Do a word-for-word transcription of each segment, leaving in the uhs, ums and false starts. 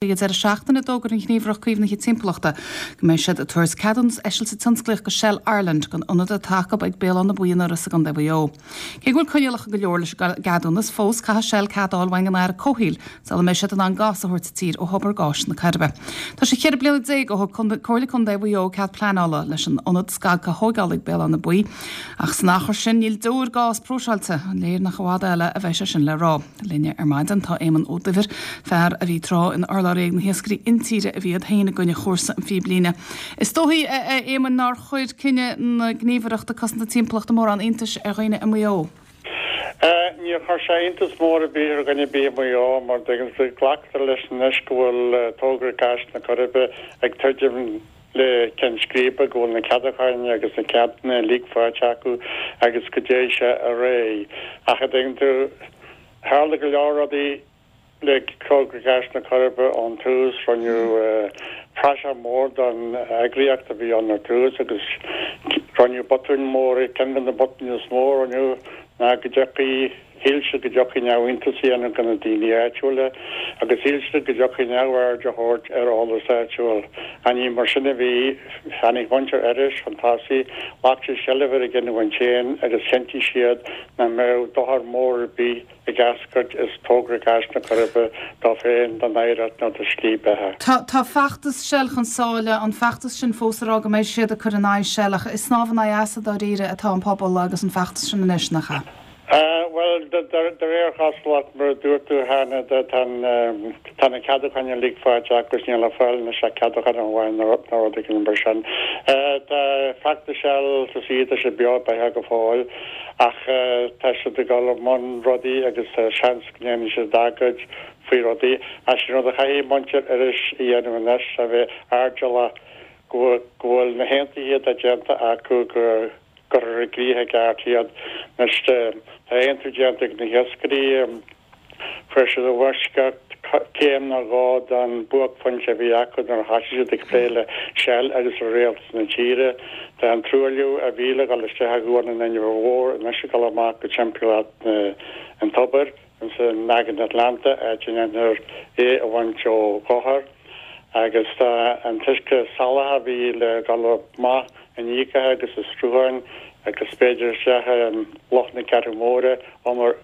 Ag an deireadh seachtaine d'fhógair an Ghníomhaireacht Caomhnaithe Timpeallachta go mbeidh siad ag tabhairt ceadúnas eisilte tionsclaíoch go Shell Ireland don ionad atá acu ag Béal Átha na Buí in Iorras i gContae Mhaigh Eo. Cé go bhfuil coinníollacha go leor leis an gceadúnas fós caithfidh Shell cead a fháil uaidh an Aire Comhshaoil sula mbeidh siad in ann gás a thabhairt i dtír ó thobar gáis na Coiribe. Tá sé ceithre bliana déag ó thug Comhairle Contae Mhaigh Eo cead pleanála leis an ionad scagtha a thógáil ag Béal Átha na Buí ach san achar sin níl deoir gás próiseáilte an léir nach i bhfad eile a bheidh sé sin le rá. Linne ar maidin tá Éamonn Ó Duibhir, fear a bhí tráth ina urlabhraí ag na hiascairí intíre a bhí iad féin i gcoinne chúrsa an phíblíne. Is dóichí a Éamoinn nár chuir cinneadh na Gníomhaireachta Cosanta Timpeallachta mórán iontais ar dhaoine i Maigh Eo. Níor chuir sé iontas mór ar bith ar dhuine ar bith i Maigh Eo mar glactar leis anois go bhfuil togra gáis na Coiribe ag druidim le ceann scríbe go bhfuil na ceadúcháin agus na ceadanna uilig faighte acu agus go dtéann sé ar aghaidh. Ach a dtuigeann tú tharla go leor rudaí le togra gáis na Coiribe ón tús rinneadh praiseach mór den eagraíocht a bhí ann ar tús agus rinneadh botúin mór ceann de na botúin is mó a rinneadh ná go dtiocfaidh shíl siad go dtiocfaidh neamhaontas a dhéanamh de na daoine áitiúla agus shíl siad go dtiocfaidh neamhaird a thabhairt ar eolas áitiúil. Ach ní mar sin a bhí tháinig muintir Iorrais chun tosaigh, ghlac siad seilbh ar a gcinniúint féin agus chinntigh siad nach mbeadh dochar mór ar bith ag eascairt as togra gáis na Coiribe dóibh féin don oidhreacht nó do slí beatha. Tá tá feachtas Shell chun sáile an feachtas sin fós ag rá go mbeidh siad ag cur in aghaidh Shell ach ag snámh in aghaidh easa dáiríre atá an pobal agus an feachtas sin anois nach ea. Bhuel de réir chosúlacht mar a dúirt tú cheana tá na ceadúcháin uilig faighte agus níl le fáil anois ach ceadúchán amháin nó rud éigin mar sin. Tá feachtas Shell tá siad tá sé beo beathach go fóill ach tá siad ag dul i mbun rudaí agus tá seans go ndéanfaidh siad agóid faoi rudaí. Ach sin rud a chaithfidh muintir Iorrais a dhéanamh anois a bheith airdeallach go bhfuil na haontuithe atá déanta acu go gcuirfear i gcrích i gceart iad. Anois tá aontú déanta ag na hiascairí, fuair siad i bhfoisceacht céim nó dhó den buaicphointe a bhí acu nuair a thosaigh siad ag plé le Shell agus le rialtas na tíre. Tá an truailliú a bhí le dhul isteach i gCuan an Inbhir Mhóir anois ag dul amach go timpeallacht an tobair ins an Aigéan Atlantach, áit a ndéanfar é a bhaint ó dhochar. Agus tá an t-uisce salach a bhí le dhul amach in íocacha agus i srutháin agus b'fhéidir isteach i Loch na Ceathrún Móire, umar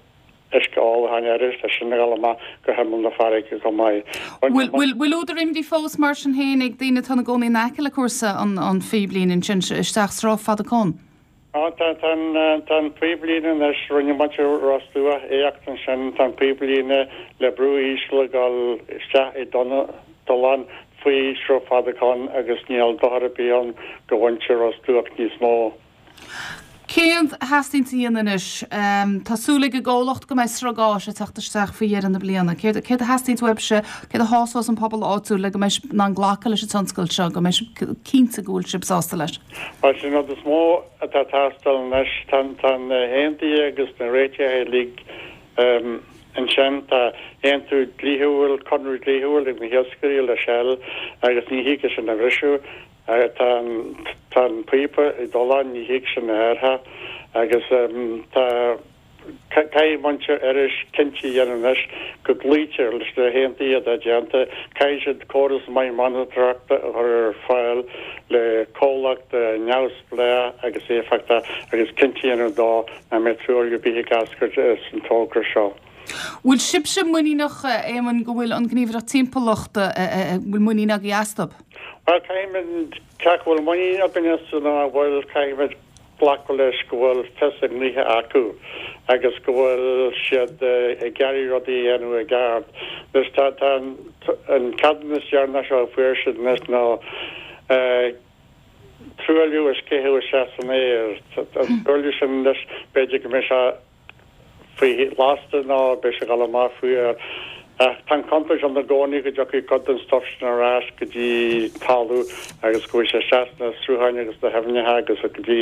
uisce ólacháin Iorrais, tá sin ag dul amach go himeall na farraige chomh maith. Bhfuil bhfuil údar imní fós mar sin féin ag daoine atá ina gcónaí in aice le cúrsa an an phíblíne ansin isteach Sruth Fada Con? Á, tá, tá an, tá an píblíne anois, rinne muintir Ros Dumhach éacht ansin, tá an píblíne le brú íseal ag dul isteach i dtollán faoi Shruth Fada Con agus níl dochar ar bith ann do mhuintir Ros Dumhach níos mó. Céard a theastaíonn a dhéanamh anois? Tá súil ag an gcomhlacht go mbeidh sruth gáis ag teacht isteach faoi dheireadh na bliana. Céard, céard a theastaíonn uaibhse, céard a shásós an pobal áitiúil le go mbeidh sibh in ann glacadh leis an tionscal seo, go mbeidh sibh cinnte go bhfuil sibh sásta leis? Bhuel, sin rud is mó atá ag teastáil anois. Tá, tá na haontuithe agus na réitithe uilig ansin. Tá aontú dlíthiúil, conradh dlíthiúil ag na hiascairí le Shell agus ní thig é sin a bhriseadh. Tá an, tá an píopa i dtollán, ní thig sin a athrú agus tá. Caithfidh muintir Iorrais cinnte a dhéanamh anois go gcloítear leis na haontuithe atá déanta. Caithfidh siad córas maith monatóireachta a chur ar fáil le comhlacht neamhspleách agus éifeachtach agus cinnte a dhéanamh dó nach mbeidh truailliú ar bith ag eascairt as an togra seo. Bhfuil sibhse muiníneach, a Éamoinn, go bhfuil an Ghníomhaireacht Timpeallachta, bhfuil muinín agaibh astu? Bhuel, caithfimid, cé acu bhfuil muinín againn astu nó nach bhfuil, caithfimid glacadh leis go bhfuil fios a ngnoithe acu agus go bhfuil siad ag iarraidh rudaí a dhéanamh i gceart. Anois tá tá an ceadúnas deireanach seo a fuair siad anois ná truailliú a sceitheadh isteach san aer. An truailliú sin anois b'fhéidir go mbeidh sé faoi lasta nó beidh sé ag dul amach faoi aer. Ach tá an chontúirt ann i gcónaí go dtiocfaidh cuid den stuif sin ar ais go dtí talamh agus go bhfuil sé isteach sna srutháin agus na haibhneacha agus go dtí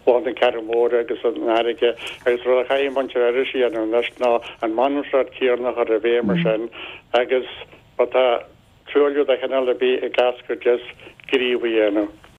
Loch na Ceathrún Móire agus an fharraige agus rud a chaithfidh muintir Iorrais a dhéanamh anois ná an monatóireacht chéanna a chur i bhfeidhm mar sin agus má tá truailliú de chineál ar bith ag eascairt as, gníomh a dhéanamh.